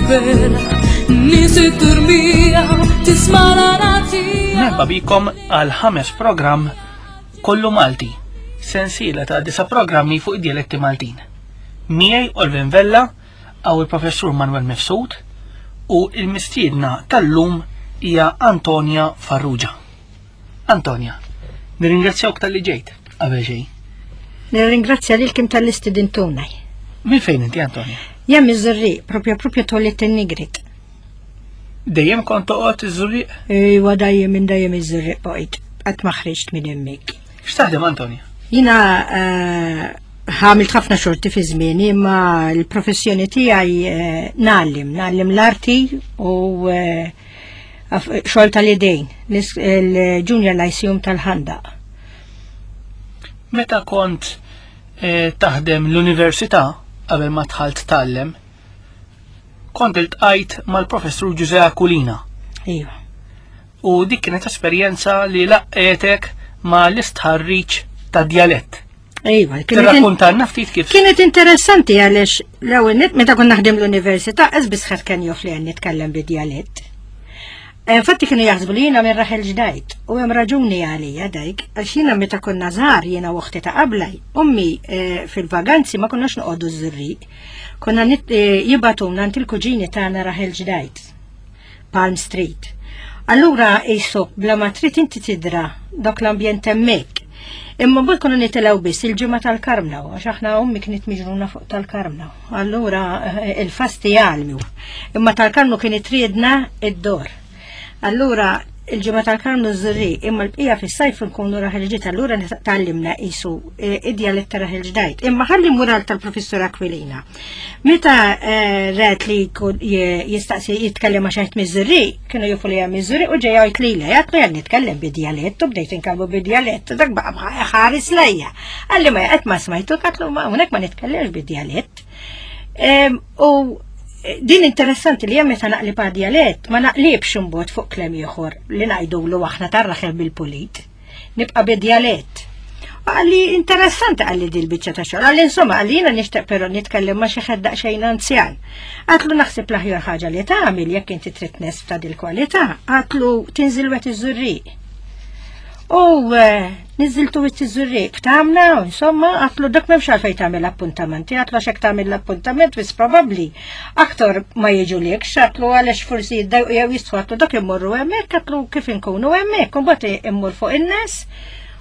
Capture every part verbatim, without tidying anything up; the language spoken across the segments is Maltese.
libera, ni si turmija, tisma' la nazija. Merħba bikom għal ħames programm kollu Malti, sensiela ta' disa programmi fuq id-dialetti Maltin. Miegħi Olvin Vella, għaw il-professur Manuel Mifsud u il-mistiedna tal-lum hija Antonia Farrugia. Antonia, nirringrazzjawk tal-li ġejt qabel xejn. Nirringrazzja lilkom talli stidintuna. Min fejn inti Antonia? Jien miż-Żurrieq, propja propja twelidt in-Nigrit. Dejjem kont toqgħod iż-Żurrieq? Iwa dejjem minn dejjem iż-Żurrieq bqajt, qatt ma ħriġt minn hemmhekk. X'taħdem Antonia? Jiena eh, għamilt ħafna xorti fi żmieni, imma l-professjoni tiegħi eh, ngħallem, ngħallem l-arti u eh, af- xogħol tal-idejn, l-is- il-Junior Lyceum tal-Ħandaq. Meta kont eh, taħdem l-università qabel ma dħalt tgħallem, kont iltqajt mal-professur Giuseppe Aquilina Iva. u dik kienet esperjenza li laqqgħetek ma l-istħarriġ ta' djalett. Iva, kienet Tirrakkontalna ftit kif Kienet interessanti għaliex l-ewwel nett meta kont naħdem l-università qas ħadd kien jaf li għan nitkellem bid-djalett. Eh, Infatti kienu jaħsbu li jiena minn Raħel Ġdid u hemm raġuni għalija dik għax jiena meta konna żgħar jiena u uħti ta' qablaj, ommi eh, fil-vaganzi ma konniex noqogħdu ż-Żurrieq. Konna nit- eh, jibagħtuna għand il-kuġini tagħna Raħel Ġdid, Palm Street. Allura jisok bla ma trid inti tidra dak l-ambjent hemmhekk. Imma mbagħad konna nitilgħu biss il-ġimgħa tal-Karmnu, għax aħna ommi kienet miġruna fuq tal-Karmnu. Allura eh, il-fasti jgħalmu. Imma tal-Karmnu kienet triedna id-dor. Allura il-ġimgħa tal-Karmnu Żurrieq, imma l-bqija fis-sajf nkunu Raħel Ġdid, allura tgħallimna qisu id-djalett ta' Raħel Ġdid. Imma ħalli mural tal-professur Aquilina. Meta eh, ret li jkun je- jistaqsi jitkellem ma' xi ħadd miż-Żurrieq, kienu jafu li hemm miż-Żurrieq u ġej jgħid lili, għatlu jgħid nitkellem bid-djalett u bdejt inkellmu bid-djalett, dak baqa' ħares lejja. Qalli ma qed ma smajtu, għatlu ma hawnhekk ma nitkellemx bid-djalett. Em, U din interessanti li hemm meta naqlib għad-djalett ma naqlibx imbagħad fuq kliem ieħor li ngħidulu aħna tar-raħel bil-pulit. Nibqa' bid-djalett. U Qalli interessanti qalli dil biċċa ta' xogħol. Qalli insomma qalli jiena nixtieq però nitkellem ma' xi ħadd daqsxejn anzjan. Għatlu naħseb l-aħjar ħaġa li tagħmel jekk inti trid nesf ta' dil-kwalità, għatlu tinżil Wied iż-Żurrieq. U eh, niżiltu Wied iż-Żurrieq, tamna, insomma, għatlu dak m'hemmx għalfejn tagħmel appuntamenti, għatlu għax hekk tagħmel l-appuntament, wis probabbli aktar ma jiġu lek, għatlu għaliex forsi jiddejqu jew jistħu għatlu dak immorru hemmhekk, għatlu kif inkunu hemmhekk, u mbagħad immur fuq in-nies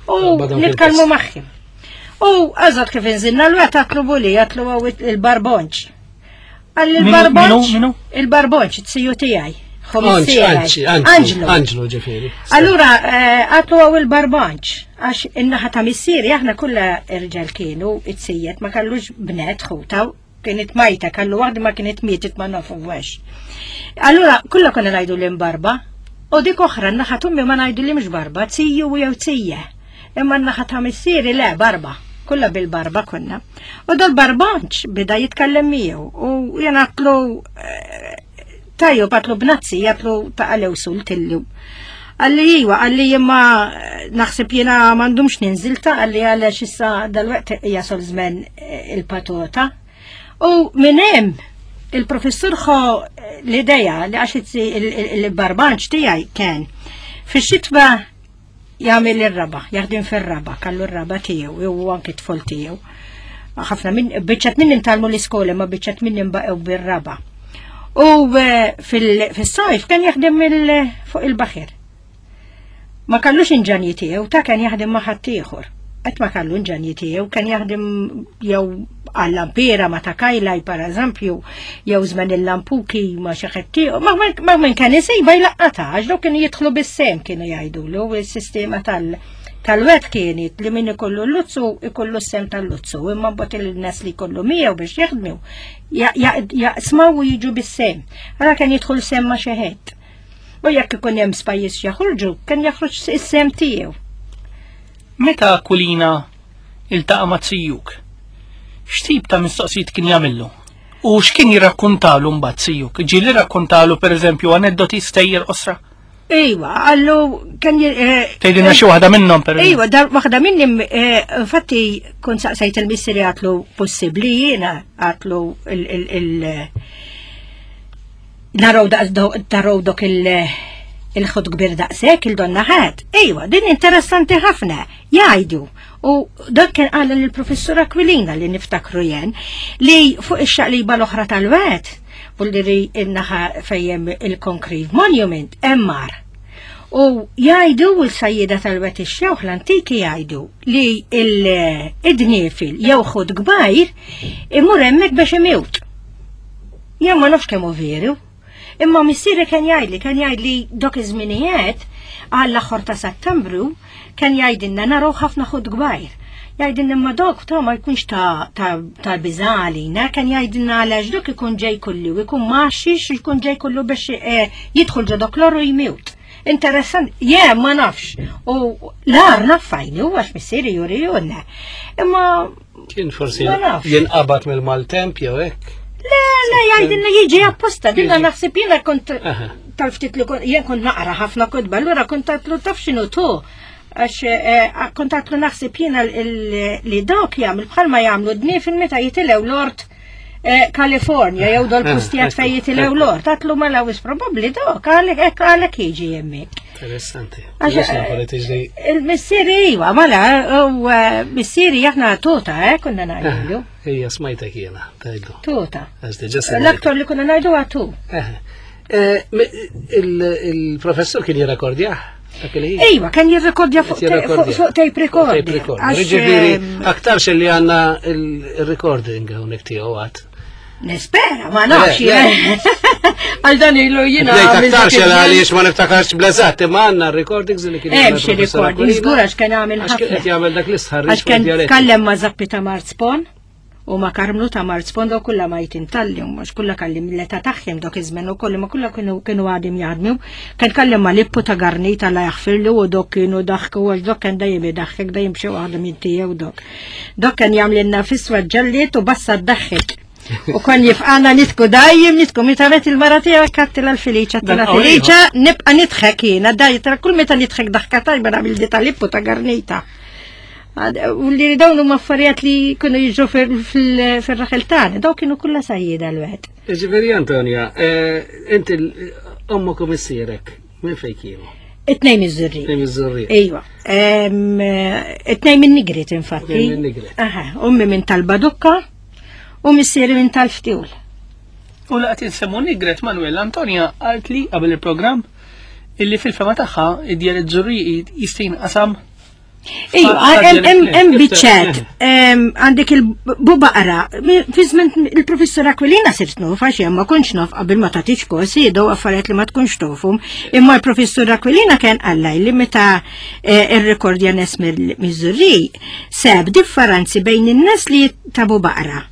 u Badam nitkellmu fil-post. magħhom. U għazat kif inżilna l-wet għatlu buli, għatlu għaw il-barbonċ. Għalli Minu- il-barbonċ, minu- minu? il-barbonċ, t-siju tiegħi. Anċi, anċi, Angelo. Angelo ġifieri. Allura, eh, għatlu għaw il-barbonċ, għax in-naħa ta' missieri, aħna kollha irġal kienu, it-sijiet, ma kellux bnet ħuta, kienet majta, kellu waħda ma kienet mietet ma nafu għax. Allura, kollha konna ngħidu l-imbarba, u dik oħra, n-naħa t'ommi ma ngħidu li mhux barba, tiju jew tija. Imma n-naħa ta' missieri le, barba. Kollha bil-barba konna. U dal-barbonċ bida jitkellem miegħu u jena għatlu eh, tajju għatlu bnazzi, għatlu ta' għalew sul tillu. Qalli iwa, qalli jimma naħseb jena m'għandumx ninżil ta' qalli għaliex issa dal-waqt jasol żmen eh, il-patota. U minn hemm il-professur ħo l-ideja li għax il-barbanċ tiegħi kien fix-xitwa jagħmel ir-raba, jaħdem fir-raba, kallu r-raba tiegħu, u anki tfol tiegħu. Ħafna minn biċċat minn intgħallmu l-iskola, ma biċċat minn baqgħu bir-raba. U eh, fil- fis-sajf kien jaħdem il- fuq il-baħir. Ma kellux inġenji tiegħu, ta' kien jaħdem ma' ħaddieħor. Qatt ma kellu inġenji tiegħu, kien jaħdem jew għall-lampira ma ta' kajlaj per eżempju, jew żmen il-lampuki ma xi ħadd ieħor. Ma ma minn kien isejba jlaqqata, għax dawk kienu jidħlu bis-sem kienu jgħidulu is-sistema tal- tal-wet kienet li min ikollu l-luzzu ikollu s-sem tal-luzzu, imma mbagħad il-nies li jkollu miegħu biex jaħdmu jaqsmaw u jiġu bis-sem. Allora kien jidħol sem ma' xi ħadd. U jekk ikun hemm spajjiż jaħorġu, kien jaħroġ is-sem tiegħu. Meta Aquilina iltaqa' ma' zijuk, x'tip ta' mistoqsijiet kien jagħmillu? U x'kien jirrakkontalu mbagħad zijuk? Ġieli rakkontalu pereżempju aneddoti stejjer qosra? Iwa, għallu kien eh, Tgħidilna xi waħda minnhom per Iwa, dar waħda minnim, eh, infatti kont saqsajt il-missieri għatlu possibli jiena għatlu il- il- il- Naraw naraw dok il- il-ħut kbir daqshekk il-donna ħadd. Ejwa, din interessanti ħafna, jgħidu. U dak kien qal lill-professur Aquilina li niftakru jen li fuq ix-xaqliba l-oħra tal-wet, li in-naħa fejjem il-Concrete Monument, emmar. U jgħidu l-sajjida tal-wet ix-xewħ l-antiki jgħidu li il-dniefil jew ħut kbajr imur hemmhekk biex imewt. Jien ma nafx kemm hu veru. Imma missieri kien jgħidli, kien jgħidli dok iż-żminijiet għall-aħħar ta' Settembru kien jgħidilna naraw ħafna ħut kbajr. Jgħidilna imma dok ta' ma jkunx ta' ta' ta' biża' kien jgħidilna għalax dok ikun ġej kullu, ikun maxix, ikun ġej kullu biex eh, jidħol ġo dok l-oru jmiwt. Interessant, jien ma nafx. U l-ar naffajni, u għax missieri juri junna. Imma Kien forsi Ma nafx. jinqabad mill-maltemp jew hekk. Le, le, jgħidilna jiġi apposta, dinna naħseb jiena kont Aha. tal-ftit li kont, jien kont naqra ħafna kotba, allura kont għatlu taf x'inhu tu. Għax eh, kont għatlu naħseb jiena l- li dawk jagħmel bħalma jagħmlu dniefil meta jitilgħu l-ort eh, California jew dol postijiet fejn jitilgħu l-ort. Għatlu mela wis probabbli dawk għalek hekk għalek jiġi hemmhekk. Interessanti. Għax, Mhux nafu li tiġri. Il-missieri iwa, mela, u eh, missieri aħna tuta, eh, konna ngħidu. Ija smajtek jiena, tgħidlu. Tuta. Għax diġà smajtek. L-aktar li konna ngħidu għatu. Eh, eh, mi- il- Il-professur kien jirrekordjah? Dak il-ħin? Ejwa, kien jirrekordja fuq Qed jirrekordja. fuq tape recorder. Tape recorder. Għax, Ġifieri, ehm, aktarx li għandna il-recording hawnhekk tiegħu għad. Nispera, ma nafx. Le, le. Għal dan ilu jiena. Ngħid għamilt aktarx dak il-żmien. għaliex ma niftakarx bl-eżatt, imma għandna recordings li kien Hemm jagħmel xi professur recordings, Aquilina. żgur għax kien għamil Għax kien ħafna. qed jagħmel dak l-istħarriġ Għax fuq kien id-dialetti. tkellem ma' Zappi ta' Marzpon u ma' Karmnu ta' Marzpon daw kulla ma jitintalli, mhux kulla kalli mill-età tagħhom dok iż-żmien ukoll ma kulla kienu kienu għadim jaħdmu. Kien kellem ma' Lippu ta' Garnita la jaħfirlu u dok kienu daħku għax dok kien dejjem idaħħek dejjem xi waħda minn tiegħu dok. Dok kien jagħmlilna fiswa ġalliet u bassa ddaħħek. U kon jifqana nitku dajjem nitku meta met il-mara tiegħek kattila l-Feliċa, Dan tila qawwi Feliċa, nibqa' nidħek jiena daj tra kull meta nidħek daħka tajba nagħmel di tal-Lippu ta' Garnita. Għad- U li dawn huma affarijiet li kienu jiġu fil- fil-raħel tagħna, daw kienu kollha sajjieda l-wieħed. Ġifieri Antonia, eh, inti l- ommok u missierek, minn fejn kienu? It-tnejn miż-Żurrieq. Minn iż-Żurrieq. Ejwa. Em, It-tnejn minn Nigrit infatti. Tnejn minn Nigrit. Aha, ummi minn tal-Badukka u missieri minn tal-Ftiwl. U laqt insemmu Nigret Manuel Antonia qalt li qabel il-programm illi fil-fema tagħha id-djalett Żurrieqi jista' jinqasam Ejwa, Fa- hemm hemm hemm Kif biċċet, em, għandek il-bubaqra, fi żmien il-professur Aquilina sirt naf, għax jien ma kontx naf qabel ma tagħtix kosi, daw affarijiet li ma tkunx tofhom, imma l-professur Aquilina kien qalla li meta eh, irrekordja nies miż-Żurrieq sab differenzi bejn in-nies li tabu baqra.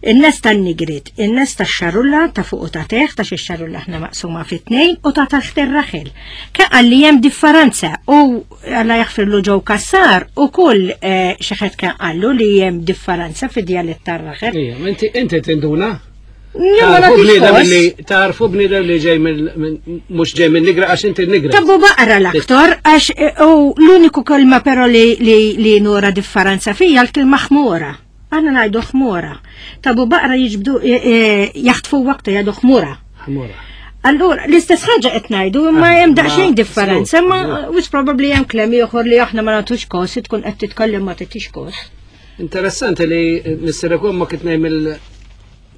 In-nies tan-Nigrit, in-nies tax-xarulla ta' fuq u ta' teħ, ta' xi xarulla aħna maqsuma fit tnejn u ta' taħt ir-raħel. Kien qal li hemm differenza u Alla jaħfirlu ġew Kassar u kull eh, xi ħadd kien qallu li hemm differenza fid-djalett tar-raħel. Ija, ma inti inti tinduna? Jien ma Tarfu nagħtix bniedem kos. li tarfu bniedem li ġej mill minn- mhux ġej minn Nigra għax inti Nigra. Tabu baqra l-aktar, għax eh, u l-uniku kelma però li, li, li nura differenza fija l-kelma ħmura. Aħna ngħidu ħmura. Tabu baqra jiġbdu eh, eh, jaħtfu waqta jgħidu ħmura. Ħmura. Allura, l-istess ħaġa qed ngħidu, imma Ah, hemm ma- daqsxejn differenza, żgur, imma żgur. wis probabbli hemm kliem ieħor li aħna ma nagħtux kos, tkun qed titkellem ma tagħtix kos. Interessanti li missierek u ommok it-tnejn mill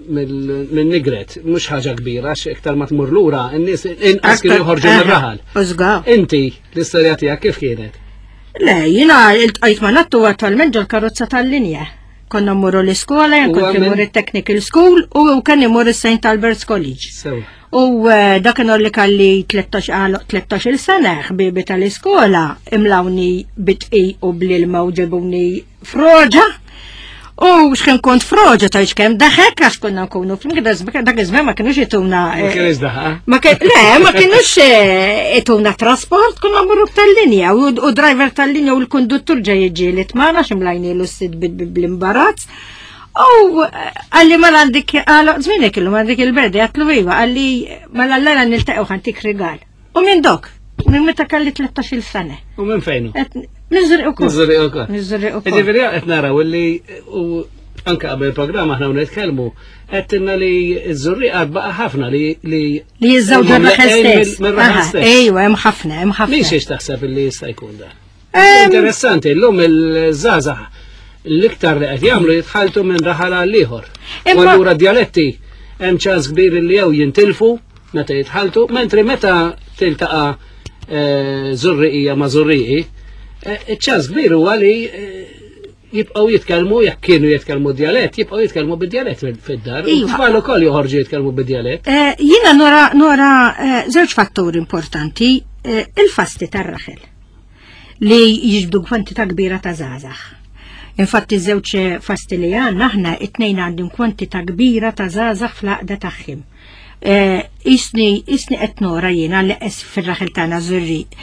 minn Nigret, mhux ħaġa kbira, għax iktar ma tmur lura, in-nies inqas kienu joħorġu mir-raħal. Użga. Inti, l-istorja tiegħek kif kienet? Le, jiena iltqajt ma nattu attualment ġol karozza tal-linja. Konna mmorru l-iskola, jien U kont għamil- imur il-Technical School u kien imur il-St. Albert's College. Sew. U eh, dak kienu li kalli tlettax għal tlettax-il sena ħbibi tal-iskola imlawni bitqi u bl-ilma u ġebuni froġa. U x'kien kont froġa ta' x'kemm daħek għax konna nkunu flimkien dak iż-żmien ma kienux jituna. Ma kienx daħqa? Ma kien, le, ma kienux eh, ituna trasport, konna mmorru tal-linja u, u driver tal-linja u l-konduttur ġej jiġġieled magħna x'imlajnielu s-sid bl-imbarazz. U eh, għalli ma għandik, għala, zminek illu għandik il-berdi, għatlu iva, għalli ma l-għalla niltaqgħu ħantik rigal. U minn dok, minn meta kalli tlettax-il sena. U minn fejnu? Miż-Żurrieq ukoll. Miż-Żurrieq ukoll. Miż-Żurrieq ukoll. Ġifieri qed naraw illi u Anka qabel il-programm aħna nitkellmu, għedtilna li ż-Żurrieq għad baqa' ħafna li li Li jiżżewġu huma r-raħel mleqgħin stess. mill- Mir-raħel Aha, stess. Ejwa, hemm ħafna, hemm Min ħafna. xiex taħseb li jista' jkun dan? Em, Interessanti, llum il-żgħażagħ l-iktar li qed jagħmlu jitħaltu minn raħal għal ieħor. U Imma- allura djaletti hemm ċans kbir li jew jintilfu meta jitħaltu, mentri meta tiltaqa' eh, Żurriqija ma' Żurriqi, eh, iċ-ċans kbir huwa li eh, jibqgħu jitkellmu jekk kienu jitkellmu djalett, jibqgħu jitkellmu bid-djalett fid-dar. U Iva. Tfal ukoll joħorġu jitkellmu bid-djalett. Eh, Jiena nora nora eh, żewġ fatturi importanti, eh, il-fasti tar-raħel li jiġbdu kwantità kbira ta' żgħażagħ. Infatti żewġ fasti li għandna aħna it-tnejn għandhom kwantità kbira ta' żgħażagħ fl-għaqda tagħhom. Eh, Isni isni qed nora jiena li qes fir-raħel tagħna Żurrieq.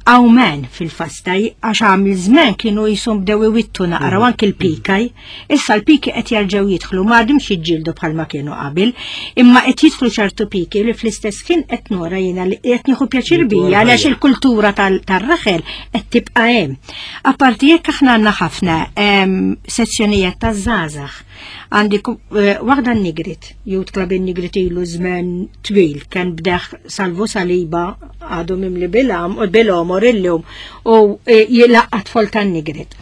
Hawn men fil-fasta għax għamil żmien kienu jisum bdew iwittu naqra u anki l-pikaj. Issa l-piki qed jerġgħu jidħlu ma għadhomx jiġġieldu bħalma kienu qabel, imma qed jidħlu ċertu piki li fl-istess ħin qed nora jiena li qed nieħu pjaċir bija għaliex il-kultura tal- tar-raħel qed tibqa' hemm. Apparti jekk aħna għandna ħafna em, sezzjonijiet taż-żgħażagħ. Għandi ku- eh, waħda n-Nigrit, Youth Club in-Nigrit ilu żmien twil, kien bdeħ Salvu Saliba għadu mimli bil-am u bil-omor illum u eh, jilaqqa tfol tan-Nigrit.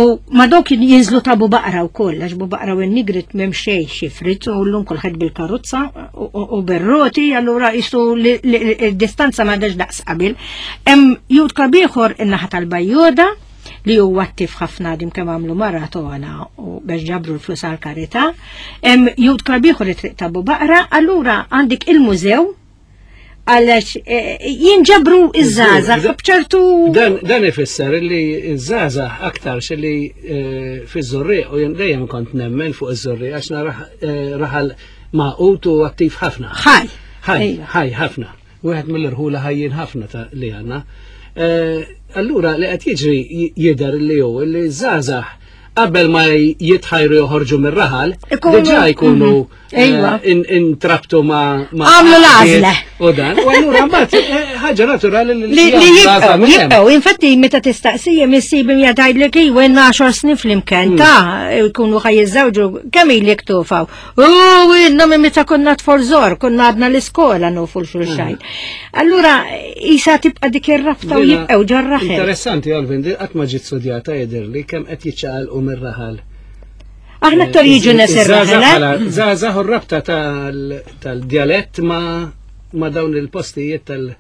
U ma dawk jinżlu ta' Bubaqra u koll, għax Bubaqra u n-Nigrit m'hemm xejn xifrit u llum kulħadd bil-karozza u- u u bir-roti, allura jisu li- li- il-distanza ma dax daqs qabel. Hemm youth club ieħor in-naħa tal-Bajjoda li huwa attiv ħafna dim kemm għamlu maratona u biex ġabru l-flus għal karità. Hemm youth club ieħor it-triq ta' Bubaqra, allura għandek il-mużew għalax eh, jinġabru iż-żgħażagħ b'ċertu Dan, dan ifisser li ż-żgħażagħ aktar li eh, fiż-Żurrieq u jien dejjem kont nemmen fuq iż-Żurrieq għax nara eh, raħal magħqud u attiv ħafna. ħaj. Ħaj, Ejwa. ħaj ħafna. Wieħed mill-irħula ħajjin ħafna ta' li għandna. Eh, Allura li qed jiġri jidher li hu li ż-żgħażagħ qabel ma jitħajru joħorġu mir-raħal, Ikunu- diġà jkunu Mhm. Ejwa. eh, in- intrabtu ma' ma' Għamlu l-għażla. U dan, u allura mbagħad eh, ħaġa naturali li Li li jagħmlu jibqgħu, l-għażla minn hemm. jibqgħu, infatti meta tistaqsija missibim jgħidlek iwa għaxar snin flimkien ta' jkunu ħa jiżżewġu kemm ilek tufaw. U inna minn meta konna tfal żgħar, konna għadna l-iskola nufu l-xulxajn. Allura isa tibqa' dik ir-rabta u Dina jibqgħu ġar-raħel. Interessanti, Alvin, di qatt ma ġiet studjata jidher li kemm qed jiċċaqalqu mir-raħal. Aħna aktar jiġu nies ir-raħel. eh? Żgħażagħ u r-rabta tal- tal-djalett ma' ma' dawn il-postijiet tal-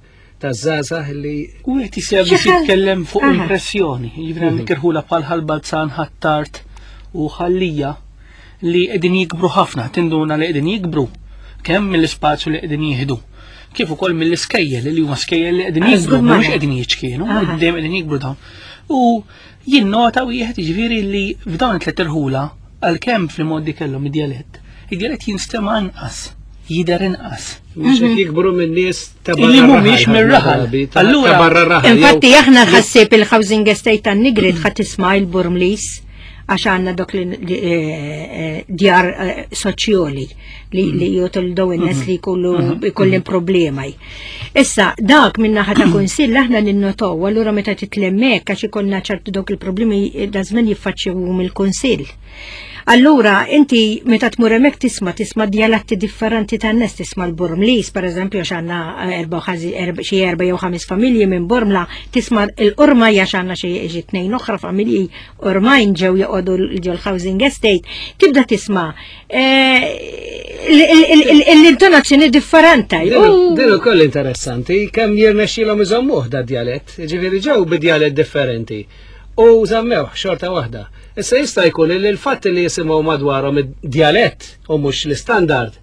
taż-żgħażagħ li U għet jisja biex Xi ħal- jitkellem fuq Aha. impressjoni, jiġifieri għandek irħula bħal Ħal Balzan, Ħ'Attard u Ħal Lija li qegħdin jikbru ħafna, tinduna li qegħdin jikbru kemm mill-ispazju li qegħdin jieħdu, kif ukoll mill-iskejjel li huma skejjel li qegħdin Ah, jikbru, żgur mhumiex mara. qegħdin jiċkienu, Aha. dejjem qegħdin jikbru dawn. U jinnota wieħed jiġifieri li f'dawn it-tliet irħula għalkemm fil-modi kellhom id-djalett, id-djalett jinstema' inqas, jidher inqas. mhux qed jikbru minn nies ta' barra Illi mhumiex r-raħal, mir-raħal. drabi, ta' Allura- ta' barra r-raħal. Infatti jew- aħna ħassib il-housing estate tan-Nigrit ħa tisma' il-Burmlis għax għandna dok li li, eh, eh, djar eh, soċjali li li jotul daw in-nies li jkollu jkollhom problema. Issa dak minn naħa ta' kunsill aħna ninnotaw allura meta titlemmek għax ikollna ċertu dawk il-problemi eh, da żmien jiffaċċjahom il-kunsill. Allura, inti meta tmur hemmhekk tisma' tisma' djaletti differenti tan-nies, tisma' l-Burmlis, per eżempju, għax għandna erba' u ħażi- erba' xi erba' jew ħames familji minn Bormla, tisma' l-Urma għax għandna xi xi tnejn oħra familji Urmajn ġew joqogħdu ġol housing estate, tibda tisma' eh, l-intonazzjoni differenti. Din din ukoll interessanti, kemm jirnexxilhom iżommuh da djalett, ġifieri ġew bi djalett differenti. U żammewh xorta waħda. Issa jista' jkun li l-fatt li jisimgħu madwarhom id-djalett u mhux l-istandard,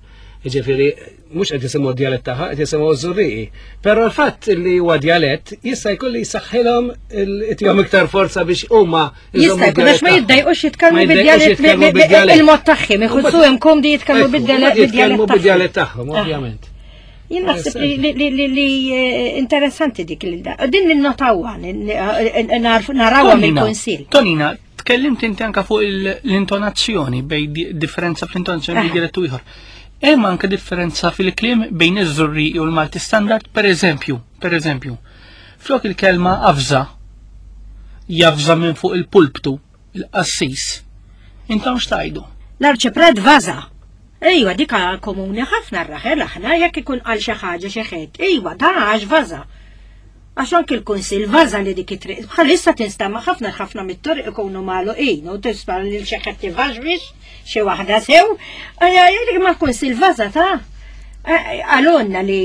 ġifieri mhux qed jisimgħu d-djalett tagħha, qed jisimgħu ż-Żurrieqi. Però l-fatt li huwa djalett jista' jkun li jsaħħilhom itihom iktar forza biex huma Jista' jkun għax ma jiddejqux jitkellmu Ma jiddejqux jitkellmu bid-djalett bid-djalett. il-mod tagħhom, iħossuhom komdi jitkellmu Ekku, bid-djalett jitkellmu tagħhom. bid-djalett tagħhom, ovvjament. Jien naħseb li, li, li, li, li eh, interessanti dik li da. Din ninnotawha, narawha mill-kunsill. Tonina, tkellimt inti anka fuq il- l-intonazzjoni bej di- differenza fl-intonazzjoni bejn Aha. djalett u ieħor. Hemm anke differenza fil-kliem bejn iż-Żurrieq u l-Malti Standard, per eżempju, per eżempju, flok il-kelma avża, javża minn fuq il-pulptu, il-qassis, Intom x'tgħidu? L-arċipret vaza. Ejwa, dika komuni ħafna r-raħel aħna jekk ikun għal xi ħaġa xi ħed. Ejwa, da għax vaza. Għax anki l-kunsil vaza li dik it-triq. Bħalissa tinstama ħafna ħafna mit-torq ikunu magħluqin u tisma' lil xi ħadd tivaġwix xi waħda sew. Ejja, dik ma kunsil vaza ta' għalonna li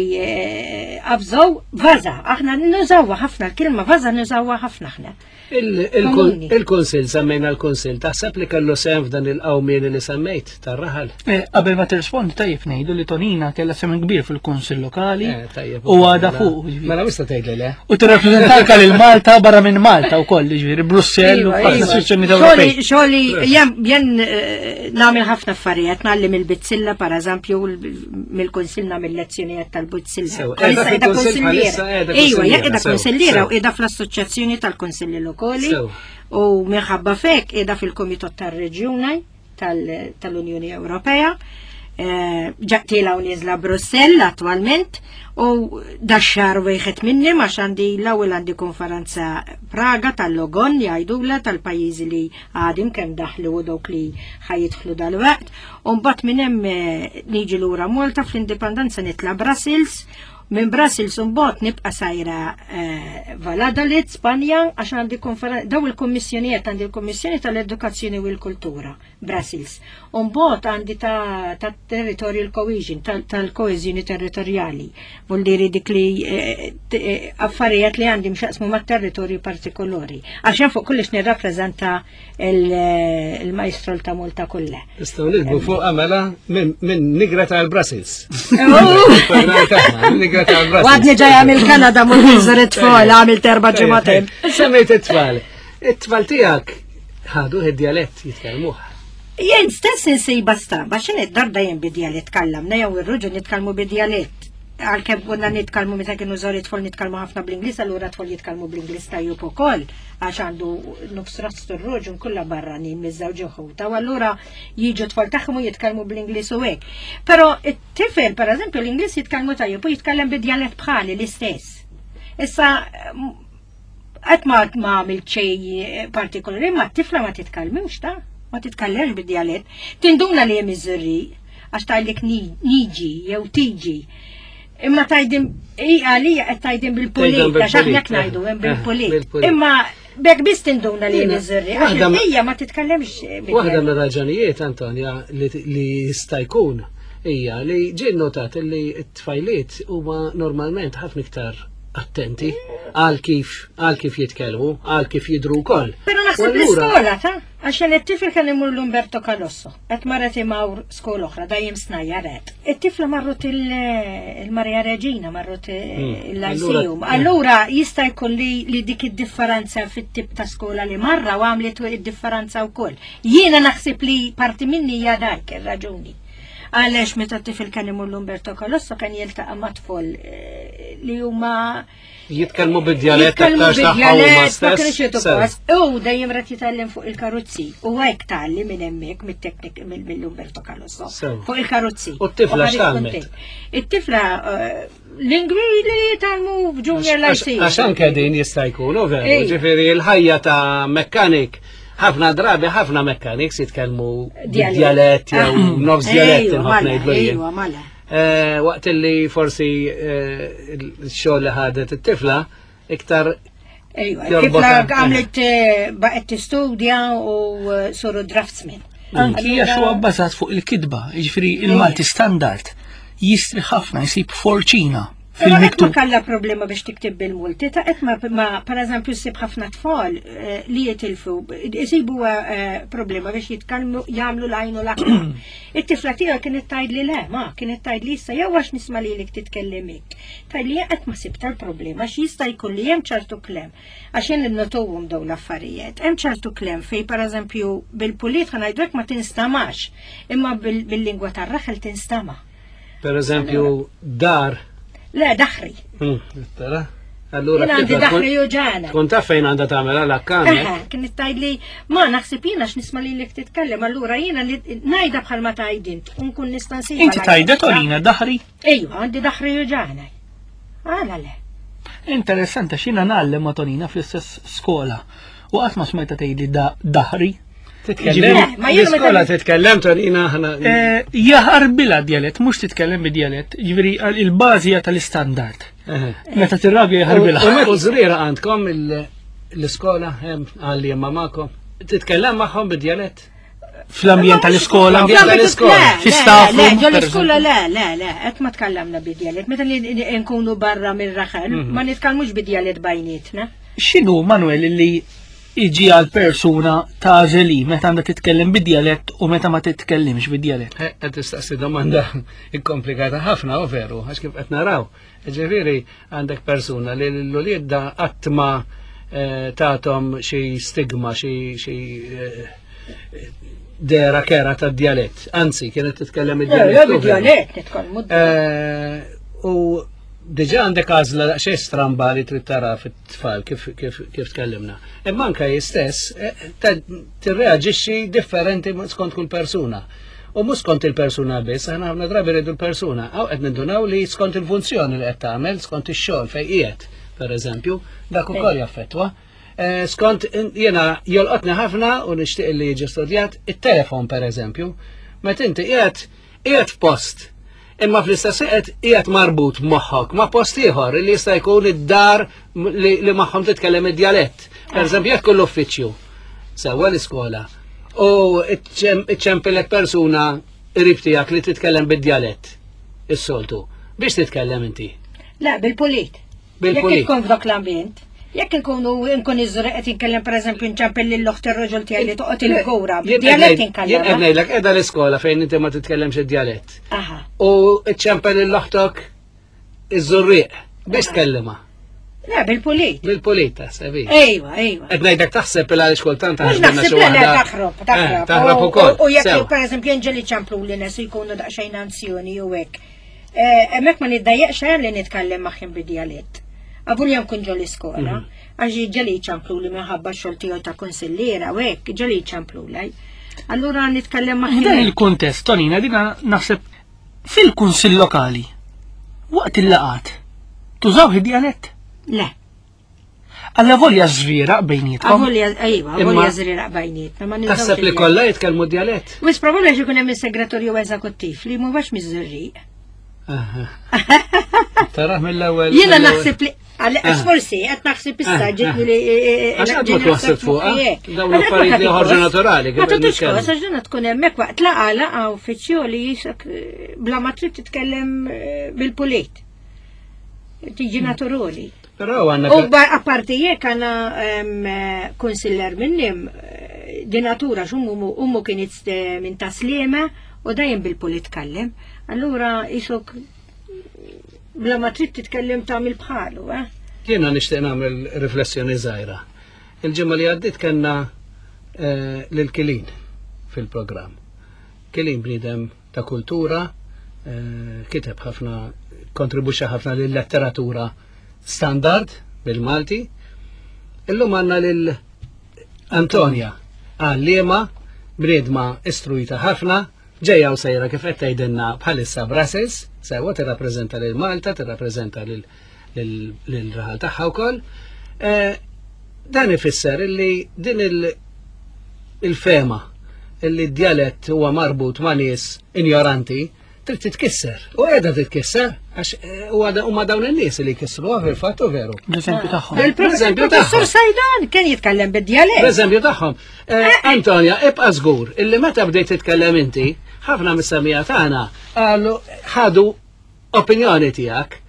qabżow vaza. Aħna nużawha ħafna l-kelma vaza nużawha ħafna aħna. Komuni. Il-Kunsil, semmejna l-Kunsil, taħseb li kellu sehem f'dan il-qawmien li semmejt tar-raħal? Eh, Qabel ma tirrispondi tajjeb ngħidu li Tonina kellha sehem kbir fil-Kunsill Lokali Eh, tajjeb, u għada mela- fuq. ġifieri. Mela mista tgħidli le. U tirrappreżentanka lil Malta barra minn Malta wkoll, ġifieri Brussell u Iva, ħafna iva. istituzzjonijiet Ewropej. Xogħli, xogħli, jen, jen eh, nagħmel ħafna affarijiet, ngħallem il-bizzilla, per eżempju, mill-kunsil nagħmel lezzjonijiet tal-bizzilla. Sew, Bħalissa qiegħda qiegħda fil-kunsill konsilliera. bħalissa, qiegħda Iva, konsilliera, qiegħda sew, konsilliera sew. u qiegħda fl-assoċjazzjoni tal-kunsilli lokali Sew. u minħabba fek qiegħda fil-Kumitat tar-Reġjuni tal- tal-Unjoni Ewropea. Eh, Ġaqtila u niżla Brussell attualment u dax-xahar wieħed minni għax għandi l-ewwel għandi konferenza Praga tal-Logon jgħidula tal-pajjiżi li għadim kemm daħlu u dawk li ħajidħlu dal-waqt. U mbagħad minn hemm eh, niġi lura Malta fl-Indipendenza nitla' Brussels. Minn Brussels mbagħad nibqa' sajra eh, Valladolid, Spanja, għax għandi konferenza daw il-kommissjonijiet għandi il-Kommissjoni tal-Edukazzjoni u l-Kultura, Brussels. U mbagħad għandi ta' ta' territorial cohesion, tal-koeżjoni territorjali. Vuol dire dik li eh, t- eh, affarijiet li għandi mxaqsmu ma' territorju partikolari. Għax jien fuq kollox nirrappreżenta il- eh, il-majstrol ta' Malta kollha. Nistgħu nikbu fuq mela minn minn nigra tal-Brussels. Nigra tal-Brussels. Għadni ġaja mill-Kanada mur nżur it-tfal, għamilt erba' ġimagħtejn. Semmejt it-tfal. It-tfal tiegħek ħadu id-djalett jitkellmuh. Jien stess insejba stramba, xin id-dar dejjem bid-djalett kallamna jew ir-ruġu nitkellmu bid-djalett. Għalkemm konna nitkellmu meta kienu żgħar it-tfal nitkellmu ħafna bl-Ingliż, allura tfal jitkellmu bl-Ingliż tajjeb ukoll għax għandu nofs rastu r-ruġu kollha barranin miż-żewġ ħuta, u allura jiġu tfal tagħhom u jitkellmu bl-Ingliż u hekk. Però it-tifel, pereżempju, l-Ingliż jitkellmu tajjeb u jitkellem bid-djalett bħali l-istess. Issa qatt ma ma għamilt xejn partikolari, ma t-tifla ma titkellmux ta' ma titkellemx bid-djalett. Tinduna li hemm iż-Żurrieq għax tgħidlek niġi jew tiġi. Imma tgħidhom i għalija qed tgħidhom bil-pulit, Tgħidhom għax aħna bil-pulit, ngħidu hemm eh, bil-pulit. bil-pulit. Imma bekk biss tinduna li hemm Jiena, iż-Żurrieq, għax waħda ma- il-bqija ma titkellemx Waħda bid-djalett. mir-raġunijiet, Antonja, li li jista' jkun hija li ġie notat li t-tfajliet huma normalment ħafna iktar attenti għal kif għal kif jitkellmu, għal kif jidru wkoll. Però U naħseb allura- l-iskola ta' għaxan it-tifel kien imur l-Umberto Calosso, qed marret imawr skola oħra, dajjem snajja ret. It-tifla marrut il- il-Maria Regina, marrut il-Lyceum. Allura- Allura jista' jkun li li dik id-differenza fit-tip ta' skola li marra u għamlet id-differenza wkoll. Jiena naħseb li parti minni hija dak ir-raġuni. Għaliex meta t-tifel kien imur l-Umberto Calosso kien jiltaqa' ma' tfal eh, li huma Jitkellmu bid-djalett Jitkellmu aktar tagħha huma bid-djalett, ma stess. kienx jagħtu Sew. każ. U dejjem rat jitgħallem fuq il-karozzi. U hekk tgħalli minn hemmhekk mit-teknik mill-Umberto Calosso. Sew. Fuq il-karozzi. U t-tifla ħareġ x'tgħallmet? kuntent. It-tifla eh, lingwi li jitgħallmu f'junior Għax lyceum. għax anke din jista' jkun, u veru, Ej. ġifieri l-ħajja ta' mekkanik, ħafna drabi ħafna mekkaniks jitkellmu bid-djalett jew nofs djalett Ejwa, inħobb mala, ngħidlu jien. Ejwa, mala. Eh, Waqt li forsi eh, il-xogħol li ħadet it-tifla iktar Ejwa, Jorbot it-tifla anke. għamlet eh, baqgħet tistudja u eh, soru draftsman. Anki għax huwa bbażat fuq il-kitba, jiġifieri il-Malti standard jistri ħafna jsib forċina Però qed ma fil-miktub. kalla problema biex tiktib bil-multi, ta' qed ma, ma per eżempju ssib ħafna tfal eh, li jitilfu, isibu eh, problema biex jitkellmu jagħmlu l-għajn u l-aħħar. It-tifla tiegħu kienet tgħid li le, ma kienet tgħid li issa jew għax nisma' lilek titkellem hekk. Tgħid li qed ma sibta l-problema għax jista' jkun li hemm ċertu klem. Għax jien nnotuhom dawn l-affarijiet. Hemm ċertu klem fej per eżempju bil-pulit ħa ngħidu hekk ma tinstamax, imma bil- bil-lingwa tar-raħel tinstama. per eżempju dar. Le, daħri. Hmm, Tara? Allura Jien għandi t-tifla tkun- daħri uġana. Tkun taf fejn għandha tagħmel għal Eħe, kienet tgħid li ma naħseb jiena x'nisma' lilek titkellem, allura jiena li ngħidha bħal ma tgħid int, u nkun nista' nsibha. Inti tajda Tonina daħri? Ejwa, għandi daħri uġana. Għala le. Interessanti x'jiena ngħallem ma' Tonina fl-istess skola. U qatt ma smajta tgħidli da daħri. Titkellem? Le, ma jiena meta- L-iskola titkellem, Tonina, ħana. Eh, Jaħarbilha djalett, mhux titkellem bid-djalett, jiġifieri il-bażi hija tal-istandard. Eħe. Meta tirrabja U jaħarbilha. met- U żriera għandkom il- l-iskola, hemm għalliema magħkom. Titkellem magħhom bid-djalett? Fl-ambjent tal-iskola. Fl-ambjent tal-iskola. Le, Fi le, staff le, room, ġo per l-iskola le, le, le, qed ma tkallamna bid-djalett. Meta li nkunu barra mir-raħal, ma nitkellmux bid-djalett bejnietna. X'inhu Manuel li iġi għal persuna tagħżel meta għandha titkellem bid-djalett u meta ma titkellimx bid-djalett? Eh, Qed tistaqsi domanda komplikata ħafna, u veru, għax kif qed naraw. Ġifieri għandek persuna li l-ulied da qatt ma eh, tathom xi stigma, xi xi eh, dera kera ta' djalett. Anzi, kienet titkellem Le, id-djalett. u veru. bid-djalett nitkellmu. Eh, U diġa għandek għażla daqsxejn stramba li trid tara fit-tfal kif kif kif tkellimna. Imma anke hi stess eh, ta- tirreaġixxi differenti skont kull persuna. U mhux skont il-persuna biss, aħna ħafna drabi rridu l-persuna. Aw qed nindunaw li skont il-funzjoni li qed tagħmel, skont ix-xogħol fejn qiegħed, pereżempju, dak ukoll jaffettwa. Eh, Skont jiena jolqotni ħafna u nixtieq li jiġi studjat it-telefon pereżempju. Meta inti qiegħed qiegħed f'post imma fl-istess qed qiegħed marbut moħħok ma' post ieħor li jista' jkun id-dar li, li magħhom titkellem id-djalett. Per eżempju, jekk kull uffiċċju sewwa l-iskola u iċċempilek persuna qrib tiegħek li titkellem bid-djalett is-soltu. Biex titkellem inti? Le, bil-pulit. Bil-pulit. Jekk tkun f'dak l-ambjent. Jekk nkunu nkun iż-Żurrieq qed inkellem pereżempju nċempel lil oħt ir-raġel tiegħi li toqgħod il-Fgura, Jien bid-djalett qed Jien qed inkellem. ngħidlek qiegħda l-iskola fejn inti ma titkellemx id-djalett. Aha. U iċċempel lil oħtok iż-Żurrieq biex tkellimha. Le, bil-pulit. Bil-pulit taħseb. Ejwa, ejwa. Qed ngħidlek taħseb il għaliex kultant Mhux taħseb naħseb le, le, taħrob, taħrob. Eh, Taħrob U- ukoll. U jekk Sew. pereżempju ġieli ċemplu li nies jkunu daqsxejn anzjoni u hekk. Eh, Hemmhekk ma niddejjaqx li nitkellem magħhom bid-djalett. Avolja nkun ġo l-iskola, Mhm. għax ġieli ċemplu li minħabba x-xogħol tiegħu ta' konsillera u hekk, ġieli ċemplu lej. Allura nitkellem F'dan magħhom. il-kuntest, Tonina, dina naħseb fil-kunsill lokali, waqt il-laqat, tużaw id-djalett? Le, Alla volja żrieraq bejnietkom. avolja, ejwa, Imma- avolja żrieraq bejnietna, ma nużawx Taħseb li id-djalett. kollha jitkellmu djalett? Wis probabbli għax ikun hemm is-segretarju eżekuttiv li mhuwax miż-Żurrieq. Taraħ mill-ewwel. Jiena mill-ewwel. naħseb li għax forsi qed naħseb issa Ah, ġietni ah. li Għax qatt ma twasslet fuqha, dawn l-affarijiet li joħorġu naturali, kif Ma tagħtux nitkellmu. kos, għax dina tkun hemmhekk waqt laqa laqa uffiċjali jisek eh, bla ma trid titkellem eh, bil-pulit. Tiġi naturali. Però għandna U ba- apparti jekk għandna em, eh, konsiller minnim eh, di natura x'ummu ummu kienet eh, minn Tas-Sliema u dejjem bil-pulit tkellem. Allura isok bla ma trid titkellem tagħmel bħalu, eh? Jiena nixtieq nagħmel riflessjoni żgħira. Il-ġimgħa li għaddiet kellna eh, lil Kilin fil-programm. Kilin bniedem ta' kultura, eh, kiteb ħafna, kontribuxxa ħafna lil letteratura standard bil-Malti. Illum għandna lil Antonia, għalliema, bniedma istruita ħafna, ġejja u sejra kif qed tgħidilna bħalissa Brussels, sewwa tirrappreżenta lil Malta, tirrappreżenta lil lil raħal tagħha wkoll. Eh, Dan ifisser illi din il- il-fema illi d-djalett huwa marbut ma' nies ignoranti trid titkisser. U qiegħda titkisser għax eh, huwa da- huma dawn in-nies li jkissruha fil-fatt u veru. L-eżempju tagħhom. L-eżempju Il-professur tagħhom. Sajdan kien jitkellem bid-djalett. L-eżempju tagħhom. Eh, Antonia, ibqa' żgur illi meta bdejt titkellem inti, ħafna mis-semija tagħna qalu ħadu opinjoni tiegħek.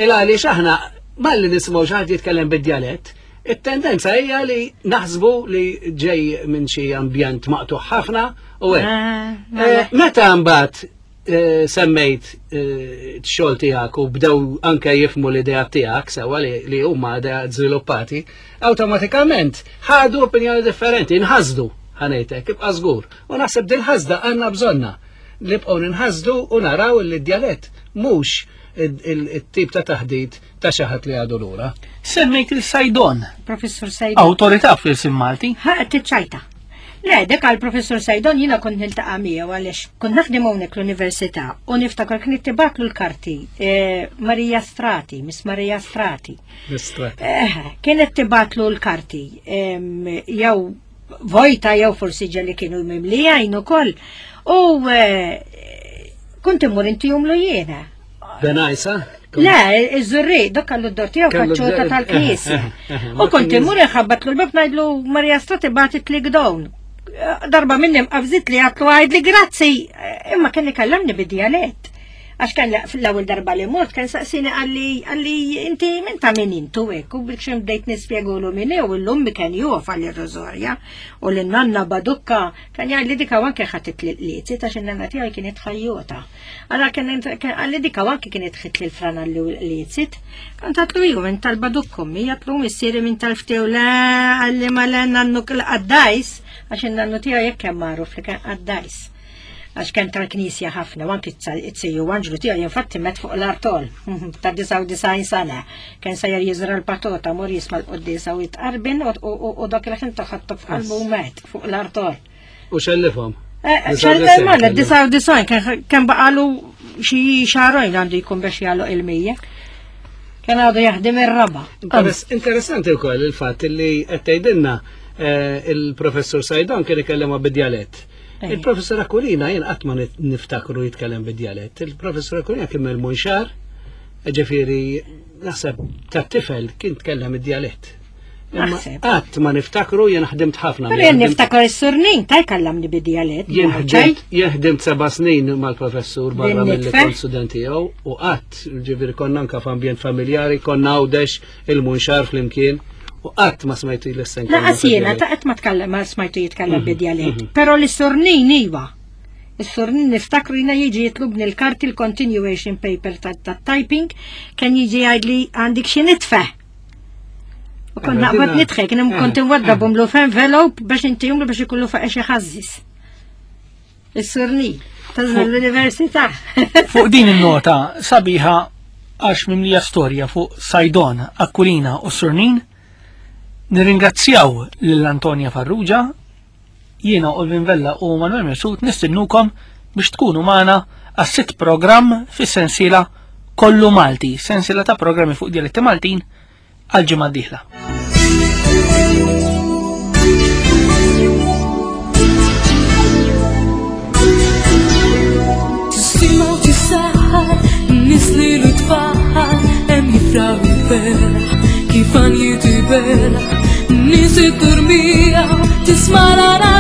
Il għaliex aħna malli nisimgħu xi ħadd jitkellem bid-djalett, it-tendenza hija li naħsbu li ġej minn xi ambjent maqtuħ ħafna u hekk. Ah, Eh, Meta mbagħad eh, semmejt eh, x-xogħol tiegħek u bdew anke jifmu l-idea tiegħek sewwa li li huma idea żviluppati, awtomatikament ħadu opinjoni differenti, inħasdu ħa ngħidlek, ibqa' żgur. U naħseb din ħasda għandna bżonna. Nibqgħu ninħasdu u naraw li d-djalett mhux il-tip ta' taħdit ta' xi ħadd li għadu lura. Semmejt il-Sajdon, Professur Sajdon. awtorità fil-sin Malti. Ha, tiċċajta. Le, dek għal professur Sajdon jina kont niltaqa' miegħu għaliex kont naħdem hawnhekk l-università u niftakar kien tibgħatlu l-karti eh, Marija Strati, Miss Marija Strati. Strati. Eh, kienet tibgħatlu l-karti em, jew vojta jew forsi ġeli kienu mimlijajn ukoll. U eh, kont immur intihomlu jiena. Benajsa? Le, iż-Żurrieq, dok kellu d-dor tiegħu Kellu faċċota d-dor- tal-knisja. eh, eh, eh, U kont immur inħabbatlu l-bab ngħidlu Marja Strati bagħtet li gdown. Darba minnim qabżit li għatlu għajd li grazzi, imma kien ikellemni bid-djalett. Għax kien fl-ewwel darba li mort kien saqsini għalli għalli inti minn ta' min intu hekk u biex bdejt nispjegulu min u l-ummi kien jof għalli r-Rożorja u l-nanna Badukka kien jgħid li dika anke ħatit li l-qliezit għax in-nanna tiegħi kienet ħajjota. Allora kien għalli dika anke kienet ħit li l-frana li l-qliezit. Kont għatlu ju minn tal-Badukka ummi għatlu missieri minn tal-ftew la għalli ma l nannu l-qaddajs għax in-nannu tiegħi jekk hemm magħruf li kien qaddajs. Għax kien tal-knisja ħafna, u anki it-siju Anġlu tiegħi infatti met fuq l-artol ta' disgħa u disgħin sena. Kien sejjer jiżra l-patota, mur jisma' l-qoddisa u jitqarbin u- u u dak il-ħin taħattu f'qalbu u met fuq l-artol. U xellifhom. Xellifhom, ma disgħa u disgħin kien baqalu xi xahrejn għandu jkun biex jagħluq il-mija. Kien għadu jaħdem ir-raba. Interess- Interessanti wkoll il-fatt li qed tgħidilna eh, il-professur Saydon kien ikellema bid-djalett. Ej. Il-professur Aquilina jien qatt ma nit- niftakru jitkellem bid-djalett. Il-professur Aquilina kien mill-Munxar, ġifieri naħseb ta' tifel kien tkellem id-djalett. Imma Naħseb. qatt ma niftakru jien ħdimt ħafna. Però jien niftakar is-surnin ta' jkellamni bid-djalett. Jien ħdimt jien ħdimt seba' snin mal-professur barra Din mill-li nitfel? kont student tiegħu u qatt ġifieri konna anke f'ambjent familjari, konna Għawdex il-Munxar flimkien u qatt ma smajtu jlissen. Lanqas jiena ta' qatt ma tkellem ma smajtu jitkellem bid-djalett. Però l-surnin iva. Is-surnin niftakru jiena jiġi jitlubni l-karti l-continuation paper ta' ta' typing kien jiġi jgħidli għandek xi nitfe. U kont Mela, naqbad dina- nitħek, kien kont inwaddabhomlu f'envelope biex intihomlu biex ikollu fuq xi ħażżis. Is-surnin ta' l-università. Fuq din il-nota sabiħa għax mimlija storja fuq Saydon, Aquilina u Surnin, nirringrazzjaw lil Antonia Farrugia, jiena Olvin Vella u Manuel Mesut nistinnukom biex tkunu magħna għas-sitt programm fis-sensiela Kollu Malti, sensiela ta' programmi fuq dialetti Maltin għal ġimgħa d-dieħla. Tistima u tisaħħar, nies li l-tfal, hemm jifraħ il-ferħ, kif għan jitibela, nies it-turmija, tisma' l-għana.